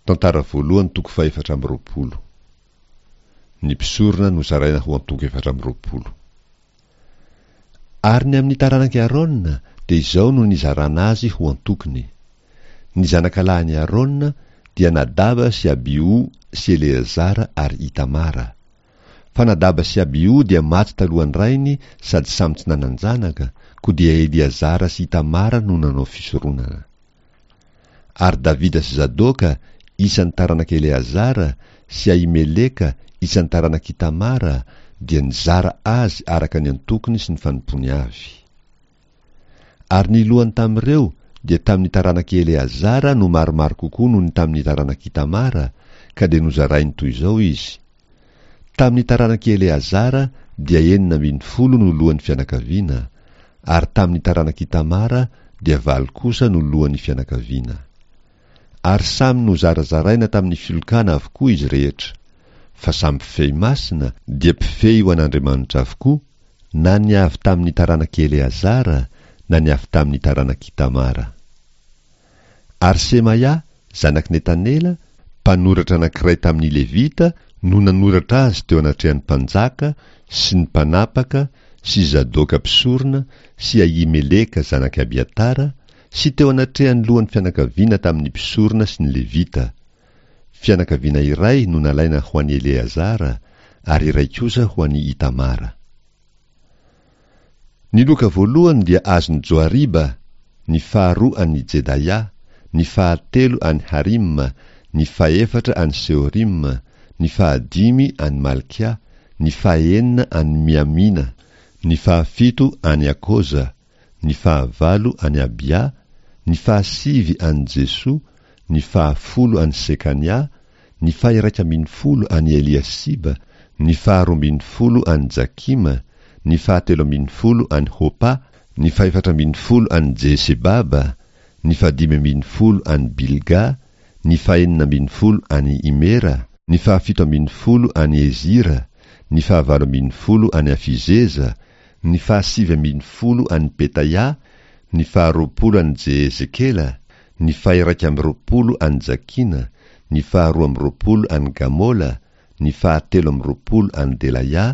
Tantara voalohany toko fahefatra amby 20. Ny mpisorona nozaraina ho antoko 24. Ary ny amin'ny taranak'i Arona dia izao no nizarana azy ho antokony, Ny zanakalahin'i Arona dia Nadaba sy Abiho sy Eleazara ary Itamara. Fa Nadaba sy Abiho dia maty talohan'ny rainy sady samy tsy nanan-janaka, koa dia Eleazara sy Itamara no nanao fisoronana. Ary Davida sy Zadoka, isan'ny taranak'i Eleazara, sy Ahimeleka, isan'ny taranak'Itamara, dia nizara azy araka ny antokony sy ny fanompoany avy. Ary ny lohany tamin'ireo dia tamin'ny taranak'i Eleazara no maromaro kokoa noho ny tamin'ny taranak'Itamara, ka dia nozarainy toy izao izy, Tamin'ny taranak'i Eleazara dia 16 no lohan'ny fianakaviana, ary tamin'ny taranak'Itamara dia valo kosa no lohan'ny fianakaviana. Ary samy nozarazaraina tamin'ny filokana avokoa izy rehetra, fa samy mpifehy masina dia mpifehy ho an'Andriamanitra avokoa, na ny avy tamin'ny taranak'i Eleazara na ny avy tamin'ny taranak'Itamara. Ary Semaia, zanak'i Netanela, mpanoratra anankiray tamin'ny Levita, no nanoratra azy teo anatrehan'ny mpanjaka sy ny mpanapaka sy Zadoka mpisorona sy Ahimeleka zanak'i Abiatara, sy teo anatrehan'ny lohan'ny fianakaviana tamin'ny mpisorona sy ny Levita. Fianakaviana iray no nalaina ho an'i Eleazara, ary iray kosa ho an'i Itamara. Ny loka voalohany dia azon'i Joariba, ny faharoa an'i Jedaia, ny fahatelo an'i Harima, ny fahefatra an'i Seorima, ny fahadimy an'i Malkia, ny fahenina an'i Miamina, ny fahafito an'i Akoza, ny fahavalo an'i Abia, ny fahasivy an'i Jesoa, ny fahafolo an'i Sekania, ny faha-iraika ambin'ny folo an'i Eliasiba, ny faharoa ambin'ny folo an'i Jakima, ny fahatelo ambin'ny folo an'i Hopa, ny fahefatra ambin'ny folo an'i Jesebaba, ny fahadimy ambin'ny folo an'i Bilga, ny fahenina ambin'ny folo an'i Imera, ny fahafito ambin'ny folo an'i Ezira, ny fahavalo ambin'ny folo an'i Afizeza, ny fahasivy ambin'ny folo an'i Petaia, ny faharoapolo an'i Jehezekela, ny faha-iraika amby roapolo an'i Jakina, ny faharoa amby roapolo an'i Gamola, ny fahatelo amby roapolo an'i Delaia,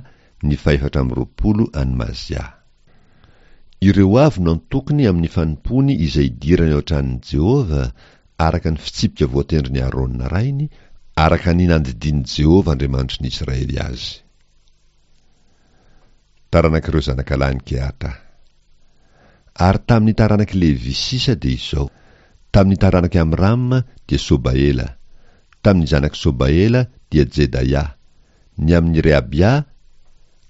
ny fahefatra amby roapolo an'i Mazia. Ireo avy no antokony amin'ny fanompoany izay idirany ao an-tranon'i Jehovah, araka ny fitsipika voatendrin'i Arona rainy, araka ny nandidian'i Jehovah Andriamanitry ny Israely azy. Taranak'ireo zanakalahin'i Kehata. Ary tamin'ny taranak'i Levy sisa dia izao, Tamin'ny taranak'i Amrama dia Sobaela, tamin'ny zanak'i Sobaela dia Jedaia, ny amin'i Rehabia,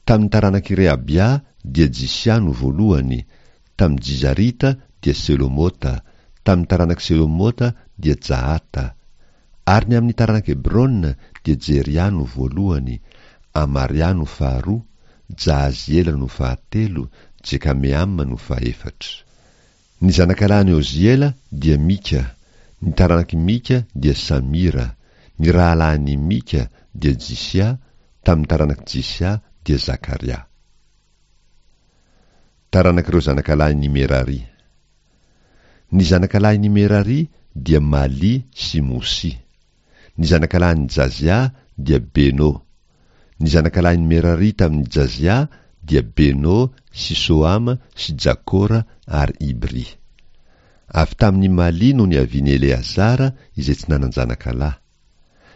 tamin'ny taranak'i Rehabia dia Jisia no voalohany, tamin'ny Jizarita dia Selomota, tamin'ny taranak'i Selomota dia Jahata, Ary ny amin'ny taranak'i Hebrona dia Jeria no voalohany, Amaria no faharoa, Jahaziela no fahatelo, Jekameama no fahefatra. Ny zanakalahin'i Oziela dia Mika, ny taranak'i Mika dia Samira, ny rahalahin'i Mika dia Jisia, tamin'ny taranak'i Jisia dia Zakaria. Taranak'ireo zanakalahin'i Merari. Ny zanakalahin'i Merari dia Mali sy Mosy. Ny zanakalahin'i Jazia dia Beno. Ny zanakalahin'i Merari tamin'i Jazia dia Beno sy Sohama sy Jakora ary Ibry. Avy tamin'i Mali no niavian'i Eleazara izay tsy nanan-janakalahy.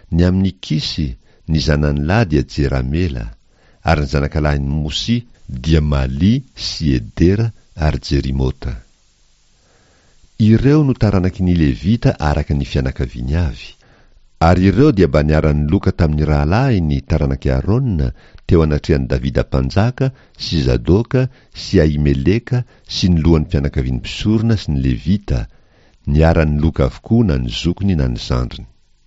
Ny amin'i Kisy, ny zanany lahy dia Jeramela, ary ny zanakalahin'i Mosy dia Mali sy Edera ary Jerimota. Ireo no taranaky ny Levita araka ny fianakaviany avy. Ary ireo dia mba niara-niloka tamin'ny rahalahiny, taranak'i Arona, teo anatrehan'i Davida mpanjaka sy Zadoka sy Ahimeleka sy ny lohan'ny fianakavian'ny mpisorona sy ny Levita, niara-niloka avokoa na ny zokiny na ny zandriny.